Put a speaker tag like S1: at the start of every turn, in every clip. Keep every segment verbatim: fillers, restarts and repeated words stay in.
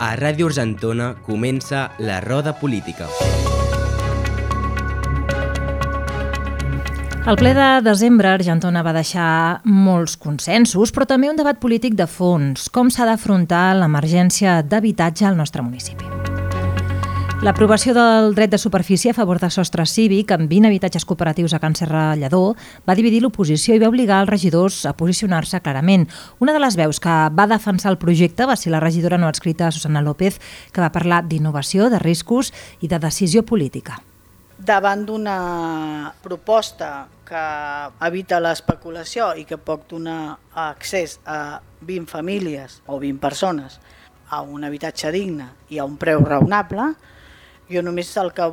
S1: A Ràdio Argentona comença la roda política.
S2: El ple de desembre a Argentona va deixar molts consensos, però també un debat polític de fons. Com s'ha d'afrontar l'emergència d'habitatge al nostre municipi? L'aprovació del dret de superfície a favor de sostre cívic amb vint habitatges cooperatius a Can Serra Lledó va dividir l'oposició i va obligar els regidors a posicionar-se clarament. Una de les veus que va defensar el projecte va ser la regidora no adscrita Susana López, que va parlar d'innovació, de riscos i de decisió política.
S3: Davant d'una proposta que evita l'especulació i que pot donar accés a vint famílies o vint persones a un habitatge digne i a un preu raonable, jo només el que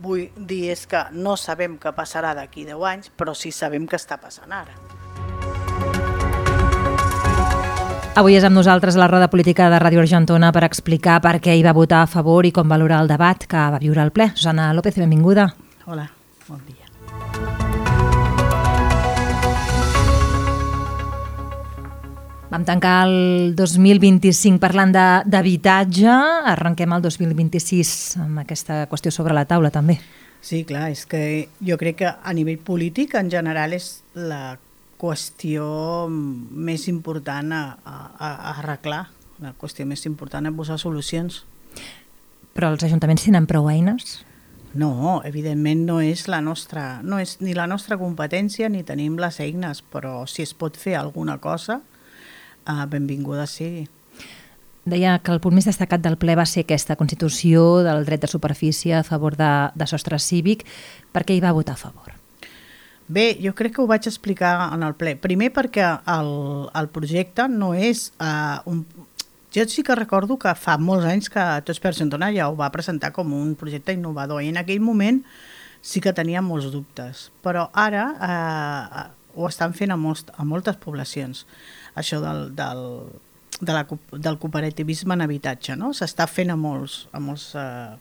S3: vull dir és que no sabem què passarà d'aquí deu anys, però sí sabem què està passant ara.
S2: Avui és amb nosaltres la roda política de Ràdio Argentona per explicar per què hi va votar a favor i com valora el debat que va viure al ple. Susana López, benvinguda.
S3: Hola, bon dia.
S2: Vam tancar el dos mil vint-i-cinc parlant d'habitatge, arrenquem el dos mil vint-i-sis amb aquesta qüestió sobre la taula també.
S3: Sí, clar, és que jo crec que a nivell polític en general és la qüestió més important a, a, a arreglar, la qüestió més important a posar solucions.
S2: Però els ajuntaments tenen prou eines?
S3: No, evidentment no és la nostra, no és ni la nostra competència ni tenim les eines, però si es pot fer alguna cosa, Uh, benvinguda sigui.
S2: Deia que el punt més destacat del ple va ser aquesta constitució del dret de superfície a favor de, de sostre cívic. Per què hi va votar a favor?
S3: Bé, jo crec que ho vaig explicar en el ple. Primer perquè el, el projecte no és... Uh, un... Jo sí que recordo que fa molts anys que Tots per Argentona ja ho va presentar com un projecte innovador i en aquell moment sí que tenia molts dubtes. Però ara uh, ho estan fent a, molts, a moltes poblacions. Això del, del, de la, del cooperativisme en habitatge, no? S'està fent a molts, a molts uh,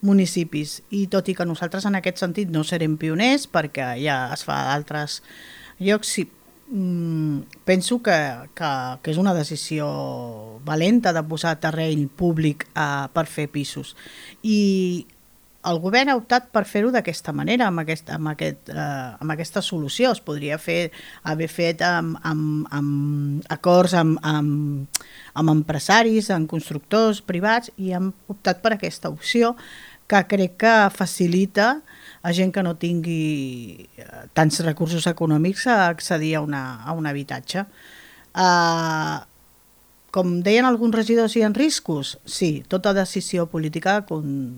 S3: municipis i tot i que nosaltres en aquest sentit no serem pioners perquè ja es fa a altres llocs, sí, mm, penso que, que, que és una decisió valenta de posar terreny públic uh, per fer pisos i el govern ha optat per fer-ho d'aquesta manera, amb, aquest, amb, aquest, eh, amb aquesta solució. Es podria fer, haver fet amb, amb, amb acords amb, amb, amb empresaris, amb constructors privats i hem optat per aquesta opció que crec que facilita a gent que no tingui tants recursos econòmics a accedir a, una, a un habitatge. Eh, com deien alguns regidors, hi ha riscos? Sí, tota decisió política con,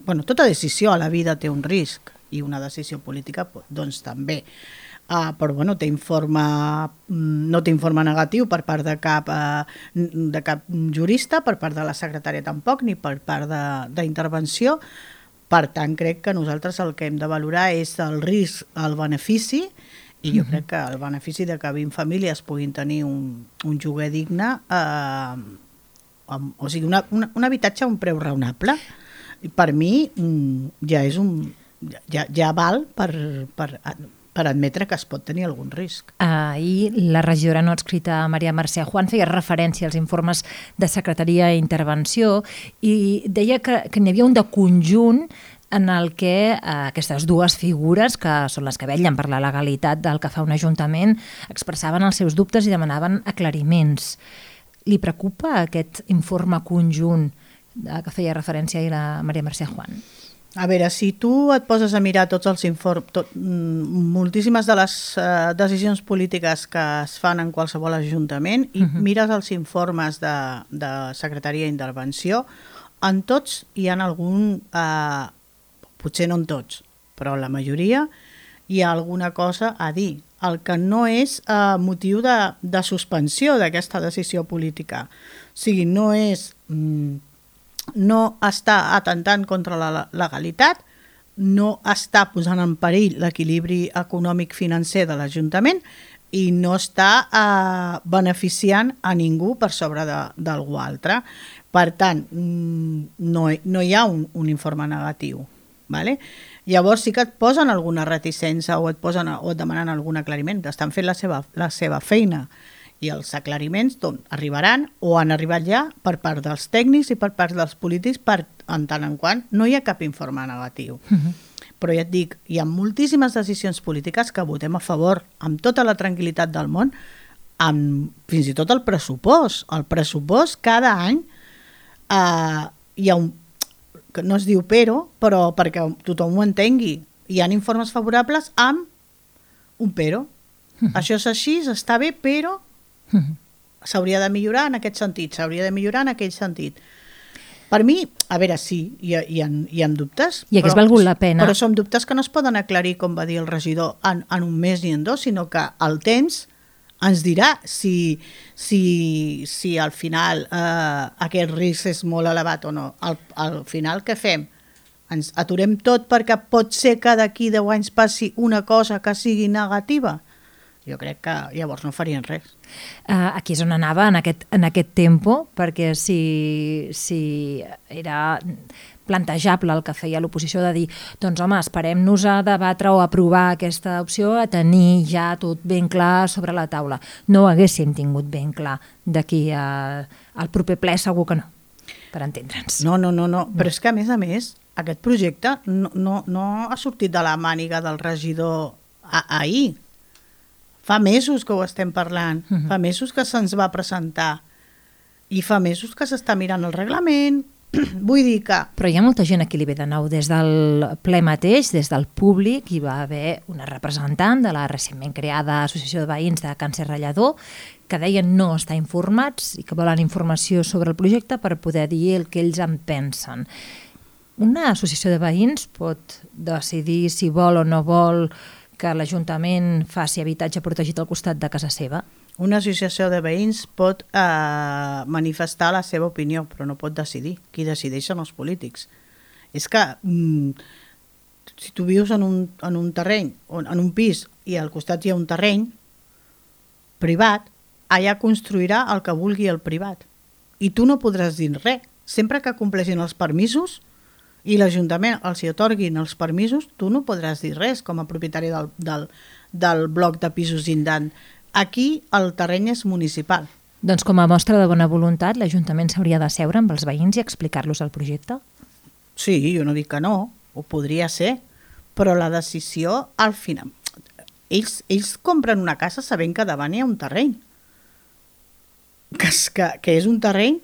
S3: Bueno, tota decisió a la vida té un risc i una decisió política doncs també, uh, però bueno, té informe, no té informe negatiu per part de cap, uh, de cap jurista, per part de la secretària tampoc, ni per part d'intervenció. Per tant, crec que nosaltres el que hem de valorar és el risc, el benefici, i jo crec que el benefici de que vint famílies puguin tenir un, un lloguer digne, uh, amb, o sigui, una, una, un habitatge a un preu raonable, per mi ja és un ja, ja val per, per, per admetre que es pot tenir algun risc.
S2: Ahir la regidora no adscrita Maria Mercè Juan feia referència als informes de secretaria i intervenció i deia que, que n'hi havia un de conjunt en el que eh, aquestes dues figures, que són les que vetllen per la legalitat del que fa un ajuntament, expressaven els seus dubtes i demanaven aclariments. Li preocupa aquest informe conjunt que feia referència ahir la Maria Mercè Juan?
S3: A veure, si tu et poses a mirar tots els informes, tot, moltíssimes de les uh, decisions polítiques que es fan en qualsevol ajuntament i uh-huh. mires els informes de, de secretaria d'intervenció, en tots hi ha algun, uh, potser no en tots, però la majoria hi ha alguna cosa a dir. El que no és uh, motiu de, de suspensió d'aquesta decisió política. O sigui, no és... Mm, no està atentant contra la legalitat, no està posant en perill l'equilibri econòmic-financer de l'Ajuntament i no està eh, beneficiant a ningú per sobre d'algú altre. Per tant, no, no hi ha un, un informe negatiu. ¿vale? Llavors sí que et posen alguna reticència o et, posen, o et demanen algun aclariment, estan fent la seva, la seva feina. i els aclariments d'on arribaran o han arribat ja per part dels tècnics i per part dels polítics per, en tant en quant no hi ha cap informe negatiu. Uh-huh. Però ja et dic, hi ha moltíssimes decisions polítiques que votem a favor amb tota la tranquil·litat del món, amb fins i tot el pressupost. El pressupost cada any eh, hi ha un, que no es diu però, però perquè tothom ho entengui, hi ha informes favorables amb un però. Uh-huh. Això és així, està bé, però uh-huh. s'hauria de millorar en aquest sentit, s'hauria de millorar en aquell sentit. Per mi, a veure, sí, hi ha, hi ha, hi ha dubtes.
S2: I hagués valgut la pena.
S3: Però són dubtes que no es poden aclarir, com va dir el regidor, en, en un mes ni en dos, sinó que el temps ens dirà si, si, si al final eh, aquest risc és molt elevat o no. Al, al final què fem? Ens aturem tot perquè pot ser que d'aquí deu anys passi una cosa que sigui negativa? Jo crec que llavors no farien res.
S2: Uh, aquí és on anava, en aquest, en aquest tempo, perquè si, si era plantejable el que feia l'oposició de dir doncs home, esperem-nos a debatre o aprovar aquesta opció a tenir ja tot ben clar sobre la taula. No ho haguéssim tingut ben clar d'aquí a, al proper ple, segur que no, per entendre'ns.
S3: No, no, no, no, però és que a més a més aquest projecte no, no, no ha sortit de la màniga del regidor a, ahir. Fa mesos que ho estem parlant, uh-huh. fa mesos que se'ns va presentar i fa mesos que s'està mirant el reglament. Vull dir que...
S2: Però hi ha molta gent a qui li ve de nou. Des del ple mateix, des del públic, hi va haver una representant de la recentment creada Associació de Veïns de Càncer Ratllador que deien no estar informats i que volen informació sobre el projecte per poder dir el que ells en pensen. Una associació de veïns pot decidir si vol o no vol que l'Ajuntament faci habitatge protegit al costat de casa seva?
S3: Una associació de veïns pot eh, manifestar la seva opinió, però no pot decidir. Qui decideix són els polítics. És que mm, si tu vius en un, en un terreny, en un pis, i al costat hi ha un terreny privat, allà construirà el que vulgui el privat. I tu no podràs dir res. Sempre que compleixin els permisos i l'Ajuntament els hi atorguin els permisos, tu no podràs dir res com a propietari del, del, del bloc de pisos indant. Aquí el terreny és municipal.
S2: Doncs com a mostra de bona voluntat, l'Ajuntament s'hauria de seure amb els veïns i explicar-los el projecte?
S3: Sí, jo no dic que no, ho podria ser, però la decisió al final... Ells, ells compren una casa sabent que davant hi ha un terreny, que, que, que és un terreny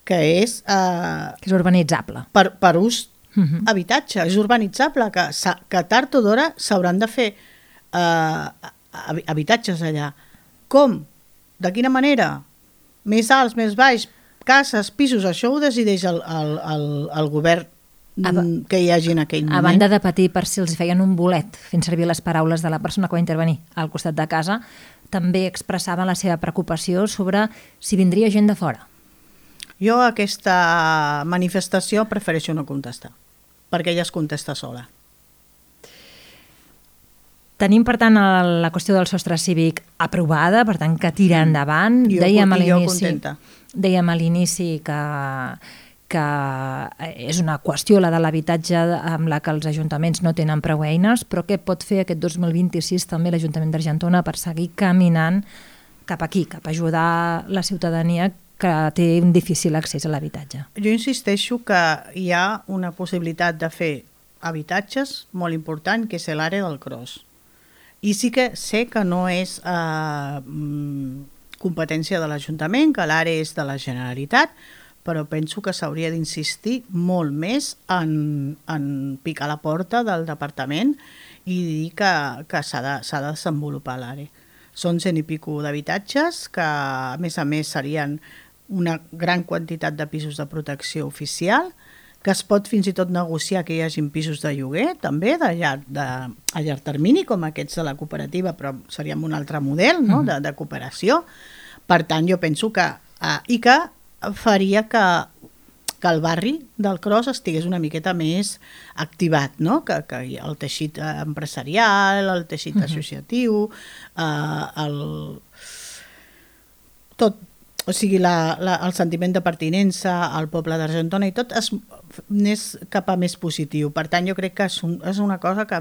S3: que és... Eh,
S2: que és urbanitzable.
S3: Per, per ús
S2: uh-huh.
S3: habitatge, és urbanitzable, que, que tard o d'hora s'hauran de fer eh, habitatges allà. Com? De quina manera? Més alts, més baix, cases, pisos, això ho decideix el, el, el, el govern ba- que hi hagi en aquell moment.
S2: A banda de patir per si els feien un bolet, fent servir les paraules de la persona que va intervenir al costat de casa, també expressaven la seva preocupació sobre si vindria gent de fora.
S3: Jo a aquesta manifestació prefereixo no contestar, perquè ella es contesta sola.
S2: Tenim, per tant, la qüestió del sostre cívic aprovada, per tant, que tira endavant.
S3: Jo,
S2: dèiem a
S3: jo
S2: l'inici,
S3: contenta.
S2: dèiem a l'inici que, que és una qüestió, la de l'habitatge, amb la que els ajuntaments no tenen prou eines, però què pot fer aquest dos mil vint-i-sis també l'Ajuntament d'Argentona per seguir caminant cap aquí, cap a ajudar la ciutadania que té un difícil accés a l'habitatge?
S3: Jo insisteixo que hi ha una possibilitat de fer habitatges molt important, que és l'àrea del Cros. I sí que sé que no és eh, competència de l'Ajuntament, que l'àrea és de la Generalitat, però penso que s'hauria d'insistir molt més en, en picar la porta del departament i dir que, que s'ha de, s'ha de desenvolupar l'àrea. Són cent i pico d'habitatges que, a més a més, serien una gran quantitat de pisos de protecció oficial, que es pot fins i tot negociar que hi hagin pisos de lloguer, també, de llarg, de, a llarg termini, com aquests de la cooperativa, però seria un altre model, no?, de, de cooperació. Per tant, jo penso que... Eh, I que faria que, que el barri del Cros estigués una miqueta més activat, no?, que, que el teixit empresarial, el teixit uh-huh. associatiu, eh, el... tot... O sigui, la, la, el sentiment de pertinença al poble d'Argentona i tot es, és cap a més positiu. Per tant, jo crec que és, un, és una cosa que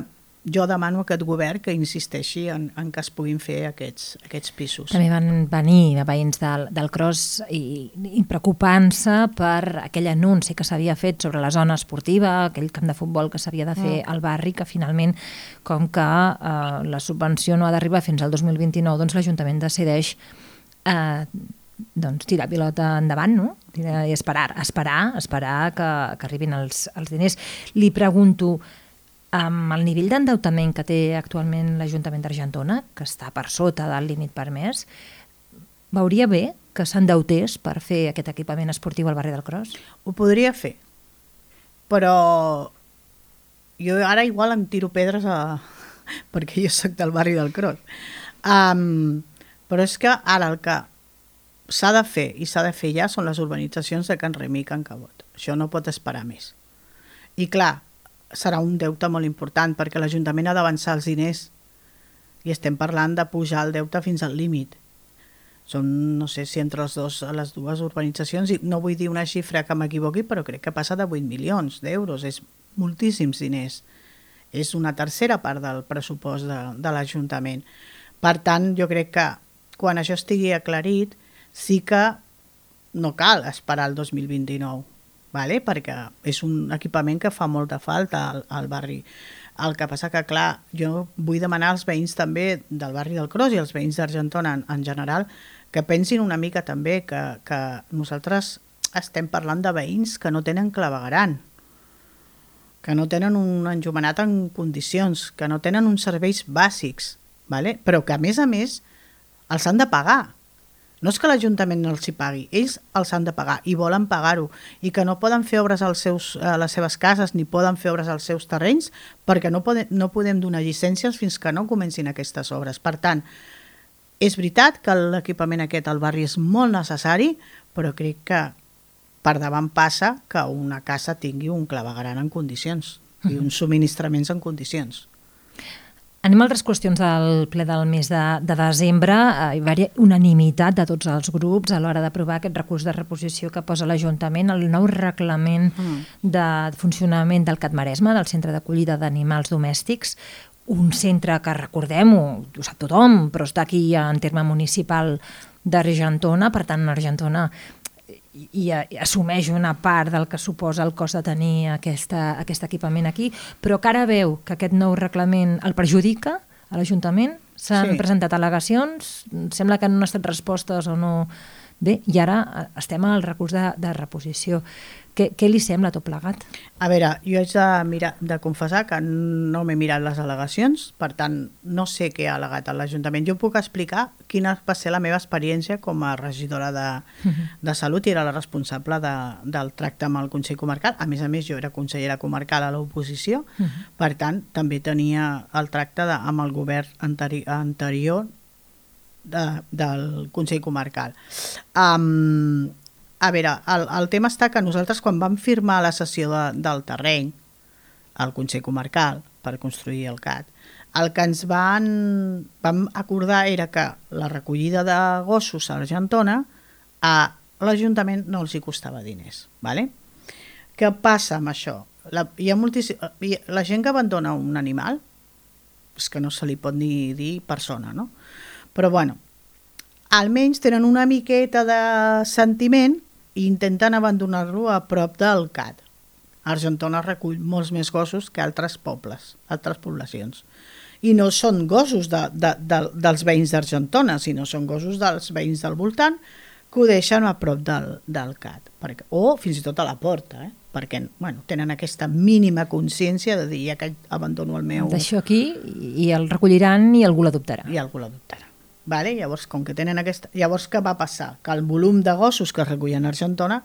S3: jo demano a aquest govern que insisteixi en, en que es puguin fer aquests, aquests pisos.
S2: També van venir veïns del, del Cros i, i preocupant-se per aquell anunci que s'havia fet sobre la zona esportiva, aquell camp de futbol que s'havia de fer mm. al barri, que finalment, com que eh, la subvenció no ha d'arribar fins al dos mil vint-i-nou, doncs l'Ajuntament decideix eh, doncs, tirar pilota endavant, no? I esperar, esperar, esperar que, que arribin els, els diners. Li pregunto, amb el nivell d'endeutament que té actualment l'Ajuntament d'Argentona, que està per sota del límit permès, veuria bé que s'endeutés per fer aquest equipament esportiu al barri del Cros?
S3: Ho podria fer, però jo ara igual em tiro pedres a... perquè jo soc del barri del Cros. Um, però és que ara el que s'ha de fer, i s'ha de fer ja, són les urbanitzacions de Can Remi i Can Cabot. Això no pot esperar més. I clar, serà un deute molt important, perquè l'Ajuntament ha d'avançar els diners, i estem parlant de pujar el deute fins al límit. Són, no sé si entre els dos, les dues urbanitzacions, i no vull dir una xifra que m'equivoqui, però crec que passa de vuit milions d'euros, és moltíssims diners. És una tercera part del pressupost de, de l'Ajuntament. Per tant, jo crec que quan això estigui aclarit, sí que no cal esperar el dos mil vint-i-nou, vale? Perquè és un equipament que fa molta falta al, al barri. El que passa que, clar, jo vull demanar als veïns també del barri del Cros i als veïns d'Argentona en, en general que pensin una mica també que, que nosaltres estem parlant de veïns que no tenen clavegueram, que no tenen un enllumenat en condicions, que no tenen uns serveis bàsics, vale? Però que a més a més els han de pagar. No és que l'Ajuntament no els hi pagui, ells els han de pagar i volen pagar-ho, i que no poden fer obres als seus, a les seves cases ni poden fer obres als seus terrenys perquè no podem, no podem donar llicències fins que no comencin aquestes obres. Per tant, és veritat que l'equipament aquest al barri és molt necessari, però crec que per davant passa que una casa tingui un clavegueram en condicions i uns subministraments en condicions.
S2: Anem a altres qüestions del ple del mes de, de desembre. Hi va haver unanimitat de tots els grups a l'hora d'aprovar aquest recurs de reposició que posa l'Ajuntament, el nou reglament mm. de funcionament del CAT Maresme, del Centre d'Acollida d'Animals Domèstics, un centre que, recordem-ho, ho sap tothom, però està aquí en terme municipal d'Argentona, per tant, Argentona i, i assumeix una part del que suposa el cost de tenir aquesta, aquest equipament aquí, però que ara veu que aquest nou reglament el perjudica a l'Ajuntament, s'han sí. presentat al·legacions, sembla que no han estat respostes o no... Bé, i ara estem al recurs de, de reposició. Què, què li sembla tot plegat?
S3: A veure, jo haig de, mirar, de confessar que no m'he mirat les al·legacions, per tant, no sé què ha al·legat a l'Ajuntament. Jo puc explicar quina va ser la meva experiència com a regidora de, uh-huh. de Salut i era la responsable de, del tracte amb el Consell Comarcal. A més a més, jo era consellera comarcal a l'oposició, uh-huh. per tant, també tenia el tracte de, amb el govern anteri- anterior de, del Consell Comarcal. Um, a veure, el, el tema està que nosaltres quan vam firmar la cessió de, del terreny al Consell Comarcal per construir el CAT, el que ens van, vam acordar era que la recollida de gossos a Argentona a l'Ajuntament no els hi costava diners. Vale? Què passa amb això? La, hi ha moltíssim, la gent que abandona un animal és que no se li pot ni dir persona, no? Però bueno, almenys tenen una miqueta de sentiment i intenten abandonar-lo a prop del CAT. Argentona recull molts més gossos que altres pobles, altres poblacions. I no són gossos de, de, de, dels veïns d'Argentona, sinó són gossos dels veïns del voltant que ho deixen a prop del, del CAT. Perquè, o fins i tot a la porta, eh? Perquè bueno, tenen aquesta mínima consciència de dir ja que abandono el meu...
S2: D'això aquí i el recolliran i algú l'adoptarà.
S3: I algú l'adoptarà. Vale? Llavors, com que tenen aquesta... Llavors, què va passar? Que el volum de gossos que es recullen a Argentona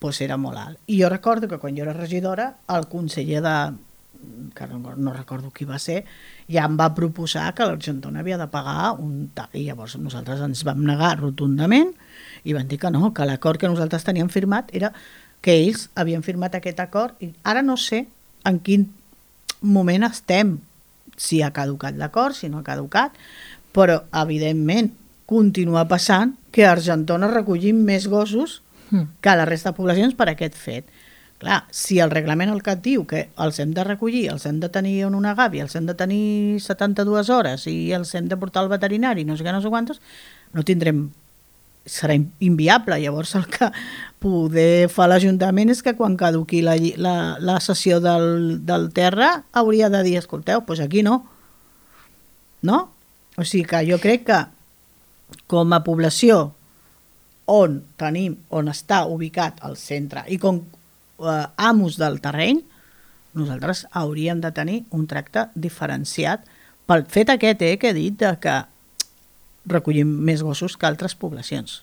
S3: pues, era molt alt. I jo recordo que quan jo era regidora, el conseller de... que no, no recordo qui va ser, ja em va proposar que l'Argentona havia de pagar un tal. I llavors nosaltres ens vam negar rotundament i van dir que no, que l'acord que nosaltres teníem firmat era que ells havien firmat aquest acord i ara no sé en quin moment estem, si ha caducat l'acord, si no ha caducat, però evidentment continua passant que a Argentona recollim més gossos que a la resta de poblacions per aquest fet. Clar, si el reglament el que et diu que els hem de recollir, els hem de tenir en una gàbia, els hem de tenir setanta-dues hores i els hem de portar al veterinari, no sé què, no sé quantos, no tindrem... serà inviable. Llavors el que poder fer l'Ajuntament és que quan caduqui la, la, la sessió del, del terra hauria de dir, escolteu, doncs aquí no. No? O sigui que jo crec que com a població on tenim, on està ubicat el centre i com eh, amos del terreny, nosaltres hauríem de tenir un tracte diferenciat pel fet aquest eh, que he dit de que recollim més gossos que altres poblacions.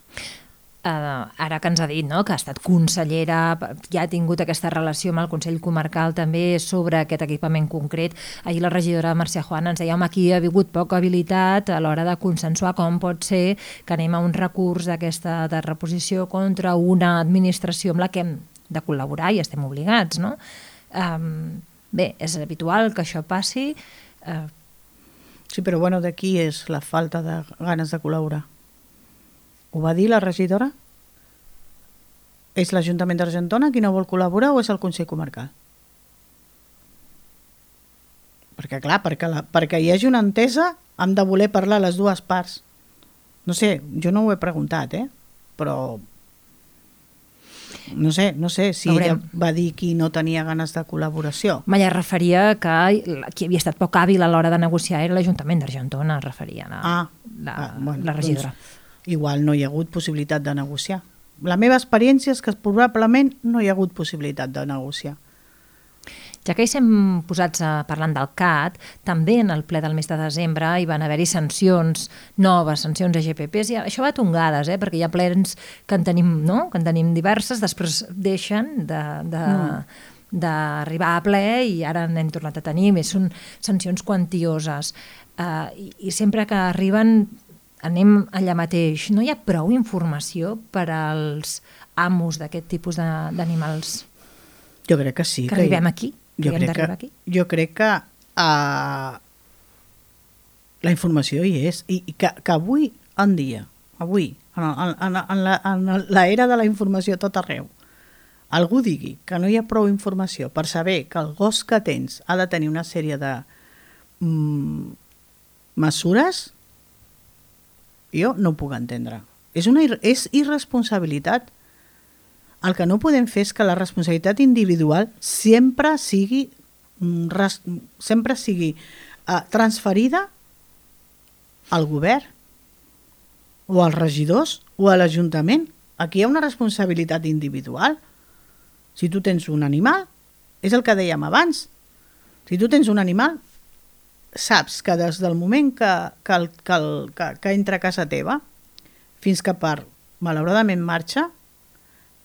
S2: Uh, ara que ens ha dit, no?, que ha estat consellera, ja ha tingut aquesta relació amb el Consell Comarcal també sobre aquest equipament concret. Ahir la regidora Mercè Juana ens deia, home, aquí ha hagut poca habilitat a l'hora de consensuar com pot ser que anem a un recurs d'aquesta de reposició contra una administració amb la que hem de col·laborar i estem obligats, no? Um, bé, és habitual que això passi. Uh,
S3: Sí, però bueno, d'aquí és la falta de ganes de col·laborar. Ho va dir la regidora? És l'Ajuntament d'Argentona qui no vol col·laborar o és el Consell Comarcal? Perquè clar, perquè, la, perquè hi hagi una entesa hem de voler parlar les dues parts. No sé, jo no ho he preguntat, eh? Però no sé, no sé si ella va dir qui no tenia ganes de col·laboració.
S2: Malla referia que qui havia estat poc hàbil a l'hora de negociar era l'Ajuntament d'Argentona, referia la,
S3: ah,
S2: la,
S3: ah, bueno,
S2: la regidora.
S3: Doncs, igual no hi ha hagut possibilitat de negociar. La meva experiència és que probablement no hi ha hagut possibilitat de negociar.
S2: Ja que hi estem posats a, parlant del C A T, també en el ple del mes de desembre hi van haver-hi sancions, noves sancions a G P Ps, i això va a tongades, eh? Perquè hi ha plens que en tenim, no? que en tenim diverses, després deixen de, de, mm. d'arribar a ple i ara n'hem tornat a tenir, més són sancions quantioses. Uh, i, I sempre que arriben anem allà mateix. No hi ha prou informació per als amos d'aquest tipus d'animals?
S3: Jo crec que sí.
S2: Que arribem aquí?
S3: Jo crec que,
S2: aquí? jo
S3: crec que uh, la informació hi és i, i que, que avui en dia, avui, en, en, en, en, la, en la era de la informació tot arreu, algú digui que no hi ha prou informació per saber que el gos que tens ha de tenir una sèrie de mm, mesures, jo no ho puc entendre. És, una, és irresponsabilitat. El que no podem fer és que la responsabilitat individual sempre sigui, sempre sigui uh, transferida al govern o als regidors o a l'Ajuntament. Aquí hi ha una responsabilitat individual. Si tu tens un animal, és el que dèiem abans, si tu tens un animal, saps que des del moment que, que, el, que, el, que, que entra a casa teva fins que per, malauradament, marxa,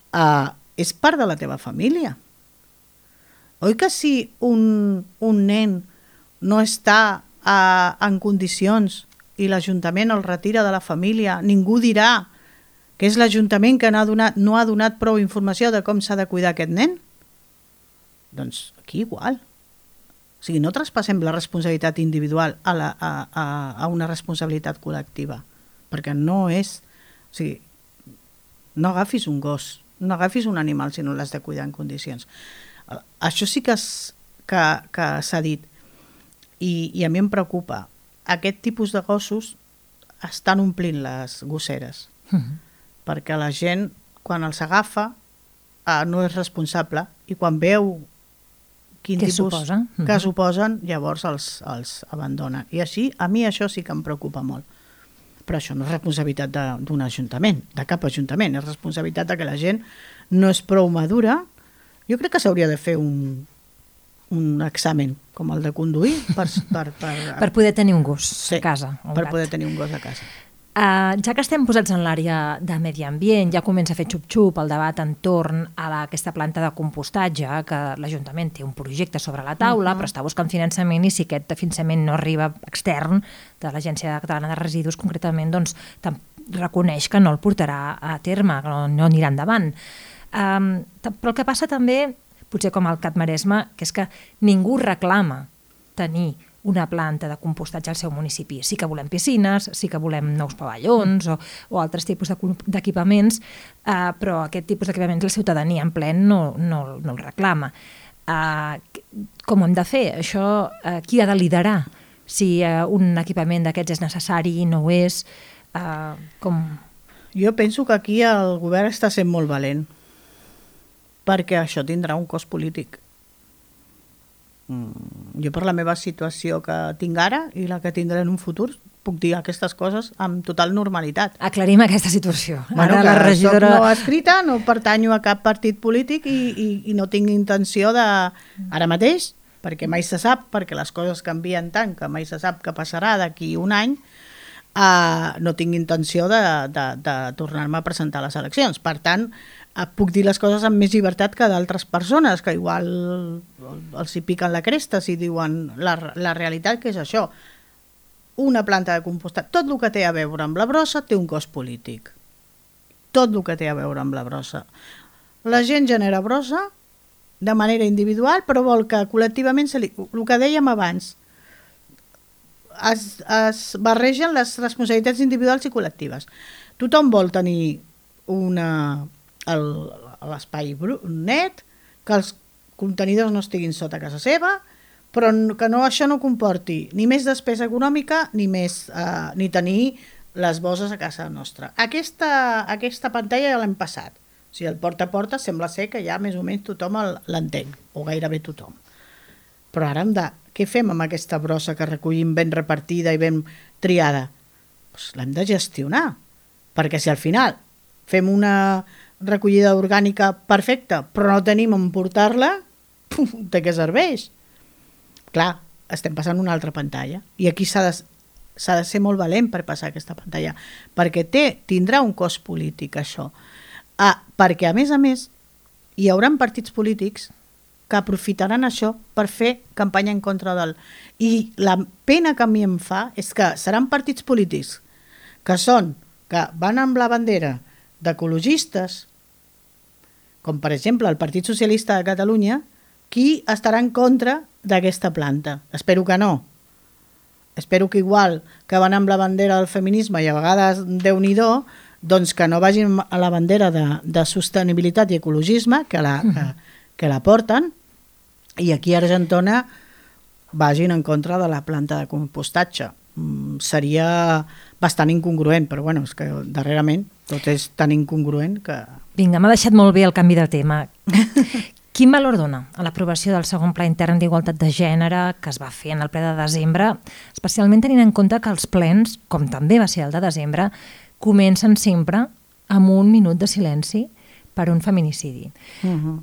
S3: Uh, és part de la teva família. Oi que si un, un nen no està uh, en condicions i l'Ajuntament el retira de la família, ningú dirà que és l'Ajuntament que no ha donat, no ha donat prou informació de com s'ha de cuidar aquest nen? Doncs aquí igual. O sigui, no traspassem la responsabilitat individual a, la, a, a, a una responsabilitat col·lectiva, perquè no és... O sigui, no agafis un gos, no agafis un animal si no l'has de cuidar en condicions. Això sí que, es, que, que s'ha dit i, i a mi em preocupa. Aquest tipus de gossos estan omplint les gosseres mm-hmm. perquè la gent quan els agafa eh, no és responsable i quan veu quin
S2: què
S3: tipus
S2: suposa?
S3: que mm-hmm. suposen, llavors els, els abandona. I així, a mi això sí que em preocupa molt. Però això no és responsabilitat d'un ajuntament, de cap ajuntament, és responsabilitat de que la gent no és prou madura. Jo crec que s'hauria de fer un, un examen com el de conduir per, per, per,
S2: per poder tenir un gos
S3: sí,
S2: a casa. Un
S3: per
S2: gat.
S3: poder tenir un gos a casa.
S2: Uh, ja que estem posats en l'àrea de medi ambient, ja comença a fer xup-xup el debat entorn a la, aquesta planta de compostatge, que l'Ajuntament té un projecte sobre la taula, uh-huh. però està buscant finançament i si aquest finançament no arriba extern de l'Agència Catalana de Residus, concretament, doncs reconeix que no el portarà a terme, que no, no anirà endavant. Um, però el que passa també, potser com al Cat Maresme, que és que ningú reclama tenir una planta de compostatge al seu municipi. Sí que volem piscines, sí que volem nous pavellons o, o altres tipus d'equipaments, eh, però aquest tipus d'equipaments la ciutadania en plen no, no, no el reclama. Eh, com ho hem de fer? Això, eh, qui ha de liderar? Si eh, un equipament d'aquests és necessari, no ho és, eh, com...
S3: Jo penso que aquí el govern està sent molt valent, perquè això tindrà un cost polític. Mm, jo per la meva situació que tinc ara i la que tindré en un futur, puc dir aquestes coses amb total normalitat.
S2: Aclarim aquesta situació.
S3: Bueno,
S2: ara
S3: que
S2: la regidora...
S3: soc no escrita, no pertanyo a cap partit polític i, i, i no tinc intenció de... Ara mateix, perquè mai se sap, perquè les coses canvien tant que mai se sap què passarà d'aquí un any, uh, no tinc intenció de, de, de tornar-me a presentar a les eleccions. Per tant, uh, puc dir les coses amb més llibertat que d'altres persones, que igual els hi piquen la cresta si diuen la, la realitat, que és això. Una planta de compostat, tot el que té a veure amb la brossa té un cost polític. Tot el que té a veure amb la brossa. La gent genera brossa de manera individual, però vol que col·lectivament, se li, el que dèiem abans, es, es barregen les responsabilitats individuals i col·lectives. Tothom vol tenir una, el, l'espai net, que els contenidors no estiguin sota casa seva, però que no, això no comporti ni més despesa econòmica ni, més, eh, ni tenir les bosses a casa nostra. Aquesta, aquesta pantalla ja l'hem passat. O sigui, el porta a porta sembla ser que ja més o menys tothom l'entén, o gairebé tothom. Però ara hem de... Què fem amb aquesta brossa que recollim ben repartida i ben triada? Pues l'hem de gestionar, perquè si al final fem una recollida orgànica perfecta, però no tenim on portar-la, de què serveix? Clar, estem passant una altra pantalla, i aquí s'ha de, s'ha de ser molt valent per passar aquesta pantalla, perquè té, tindrà un cost polític, això. Ah, perquè, a més a més, hi haurà partits polítics que aprofitaran això per fer campanya en contra del... I la pena que a mi em fa és que seran partits polítics que són, que van amb la bandera d'ecologistes, com per exemple el Partit Socialista de Catalunya, qui estarà en contra d'aquesta planta. Espero que no. Espero que igual que van amb la bandera del feminisme i a vegades Déu-n'hi-do, doncs que no vagin a la bandera de, de sostenibilitat i ecologisme, que la, que, que la porten, i aquí a Argentona vagin en contra de la planta de compostatge. Mm, seria bastant incongruent, però bueno, és que darrerament tot és tan incongruent que...
S2: Vinga, m'ha deixat molt bé el canvi de tema. Quin valor dona a l'aprovació del segon Pla Intern d'Igualtat de Gènere que es va fer en el ple de desembre, especialment tenint en compte que els plens, com també va ser el de desembre, comencen sempre amb un minut de silenci per un feminicidi. Uh-huh.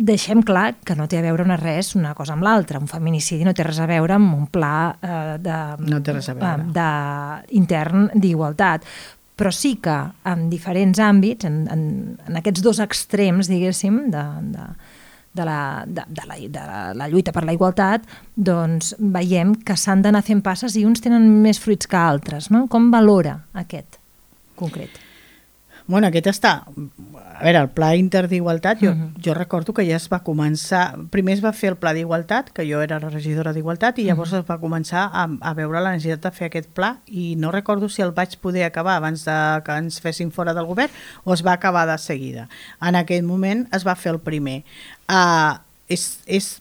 S2: Deixem clar que no té a veure una res una cosa amb l'altra. Un feminicidi no té res a veure amb un pla eh, de,
S3: no té res a veure.
S2: de, intern d'igualtat. Però sí que en diferents àmbits, en, en, en aquests dos extrems, diguéssim, de, de, de, la, de, de, la, de la lluita per la igualtat, doncs veiem que s'han d'anar fent passes i uns tenen més fruits que altres. No? Com valora aquest concret?
S3: Bueno, aquest està... A veure, el Pla Inter d'Igualtat, jo, uh-huh. jo recordo que ja es va començar... Primer es va fer el Pla d'Igualtat, que jo era la regidora d'Igualtat, i llavors uh-huh. es va començar a, a veure la necessitat de fer aquest pla, i no recordo si el vaig poder acabar abans de que ens fessin fora del govern o es va acabar de seguida. En aquell moment es va fer el primer. Uh, és, és...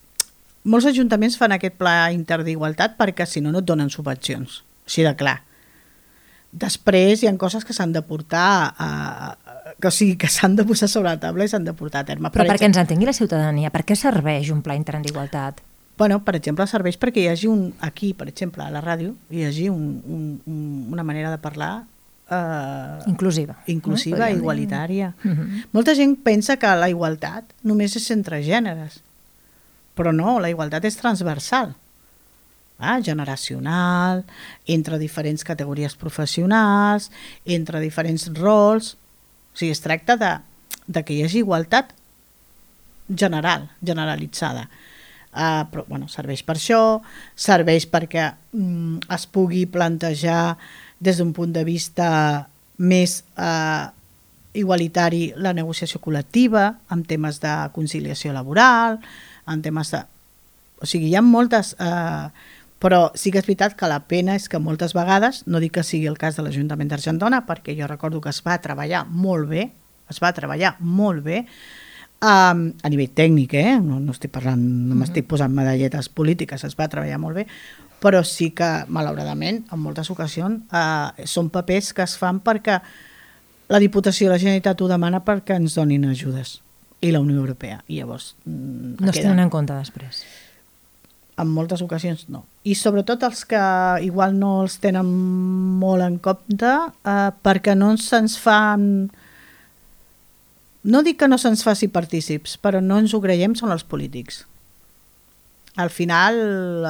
S3: Molts ajuntaments fan aquest Pla Inter d'Igualtat perquè si no no et donen subvencions, així de clar. Després hi ha coses que s'han de portar a, a, que, o sigui, que s'han de posar sobre la taula i s'han de portar a terme.
S2: Però per perquè ens entengui la ciutadania, per què serveix un Pla Intern d'Igualtat?
S3: Bueno, per exemple, serveix perquè hi hagi un, aquí, per exemple, a la ràdio, hi hagi un, un, un, una manera de parlar eh,
S2: inclusiva,
S3: inclusiva no? igualitària.
S2: Uh-huh.
S3: Molta gent pensa que la igualtat només és entre gèneres, però no, la igualtat és transversal. Ah, generacional, entre diferents categories professionals, entre diferents rols. O sigui, es tracta de, de que hi hagi igualtat general, generalitzada. Uh, però, bueno, serveix per això, serveix perquè um, es pugui plantejar des d'un punt de vista més uh, igualitari la negociació col·lectiva, en temes de conciliació laboral, en temes de... O sigui, hi ha moltes... Uh, Però sí que és veritat que la pena és que moltes vegades, no dic que sigui el cas de l'Ajuntament d'Argentona, perquè jo recordo que es va treballar molt bé, es va treballar molt bé, um, a nivell tècnic, eh? no, no estic parlant, no m'estic posant medalletes polítiques, es va treballar molt bé, però sí que, malauradament, en moltes ocasions, uh, són papers que es fan perquè la Diputació de la Generalitat ho demana perquè ens donin ajudes, i la Unió Europea, i llavors... Mm,
S2: no es tenen en compte després.
S3: En moltes ocasions no. I sobretot els que igual no els tenen molt en compte eh, perquè no se'ns fan... No dic que no se'ns faci partícips, però no ens ho creiem, són els polítics. Al final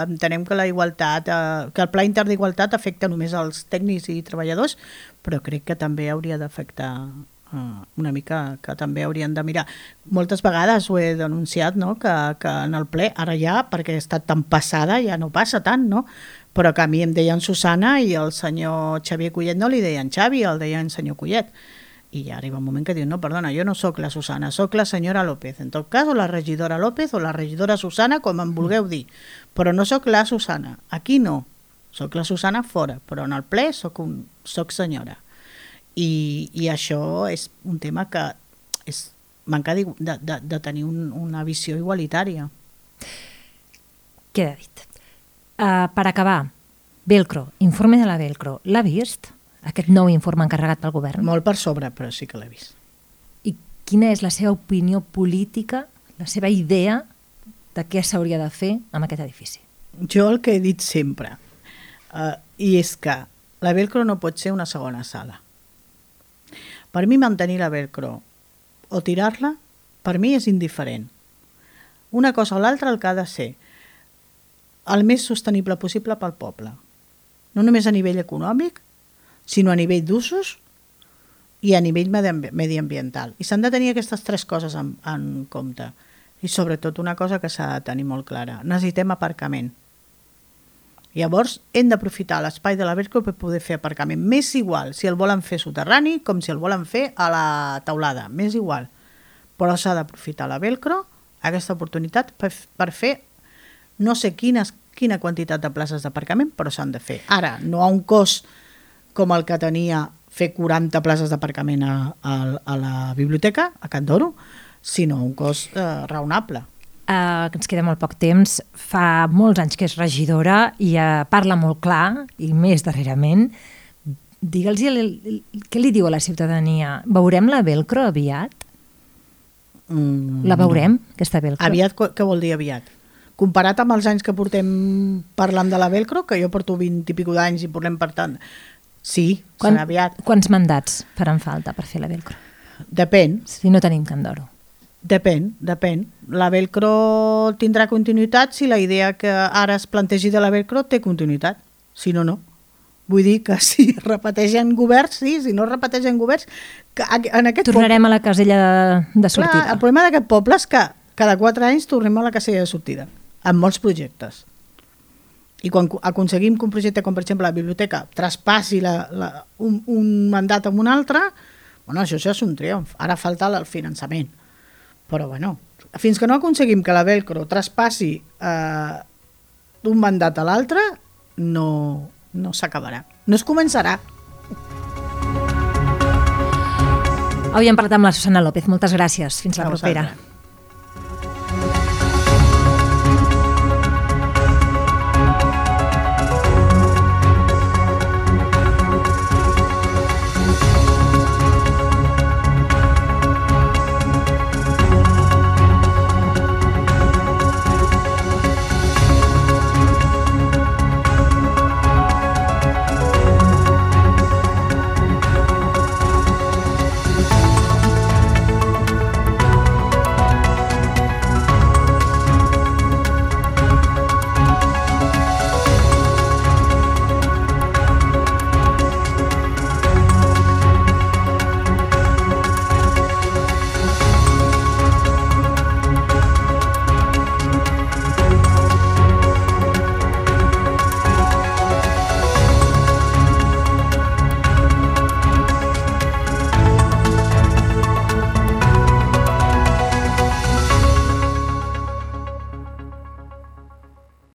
S3: entenem que la igualtat, eh, que el Pla Intern d'Igualtat afecta només als tècnics i treballadors, però crec que també hauria d'afectar Uh, una mica que també haurien de mirar. Moltes vegades ho he denunciat, no? que, que en el ple, ara ja, perquè he estat tan passada, ja no passa tant, no? Però que a mi em deien Susana i el senyor Xavier Collet no li deien Xavi, el deien senyor Collet. I ja arriba un moment que diu, no, perdona, jo no sóc la Susana, sóc la senyora López. En tot cas, o la regidora López o la regidora Susana, com em vulgueu dir. Però no sóc la Susana. Aquí no. Sóc la Susana fora, però en el ple sóc, un, sóc senyora. I, i això és un tema que és manca de, de, de tenir un, una visió igualitària.
S2: Queda dit. Uh, per acabar, Velcro, informe de la Velcro, l'ha vist? Aquest nou informe encarregat pel govern?
S3: Molt per sobre, però sí que l'he vist.
S2: I quina és la seva opinió política, la seva idea de què s'hauria de fer amb aquest edifici?
S3: Jo el que he dit sempre, uh, i és que la Velcro no pot ser una segona sala. Per mi mantenir la Velcro o tirar-la, per mi és indiferent. Una cosa o l'altra el que ha de ser el més sostenible possible pel poble. No només a nivell econòmic, sinó a nivell d'usos i a nivell mediambiental. I s'han de tenir aquestes tres coses en, en compte. I sobretot una cosa que s'ha de tenir molt clara. Necessitem aparcament. Llavors, hem d'aprofitar l'espai de la Velcro per poder fer aparcament. M'és igual si el volen fer soterrani com si el volen fer a la teulada. M'és igual. Però s'ha d'aprofitar la Velcro, aquesta oportunitat, per, per fer no sé quines, quina quantitat de places d'aparcament, però s'han de fer. Ara, no a un cost com el que tenia fer quaranta places d'aparcament a, a, a la biblioteca, a Can d'Oro, sinó a un cost eh, raonable.
S2: Uh, ens queda molt poc temps, fa molts anys que és regidora i uh, parla molt clar, i més darrerament. Digue'ls què li diu a la ciutadania. Veurem la Velcro aviat? Mm, la veurem, no. Aquesta Velcro?
S3: Aviat, què vol dir aviat? Comparat amb els anys que portem parlant de la Velcro, que jo porto vint i pico d'anys i parlem per tant, sí,
S2: Quan,
S3: serà aviat.
S2: Quants mandats faran falta per fer la Velcro?
S3: Depèn.
S2: Si no tenim Can d'Oro.
S3: Depèn, depèn. La Velcro tindrà continuïtat si la idea que ara es plantegi de la Velcro té continuïtat. Si no, no. Vull dir que si repeteixen governs, sí, si no repeteixen governs... Que en aquest
S2: Tornarem
S3: poble...
S2: a la casella de, de sortida.
S3: Clar, el problema d'aquest poble és que cada quatre anys tornem a la casella de sortida, amb molts projectes. I quan aconseguim que un projecte, com per exemple la biblioteca, traspassi la, la, un, un mandat amb un altre, bueno, això ja és un triomf. Ara falta el finançament. Però, bueno, fins que no aconseguim que la Velcro traspassi eh, d'un mandat a l'altre, no, no s'acabarà. No es començarà.
S2: Avui hem parlat amb la Susana López. Moltes gràcies. Fins la propera.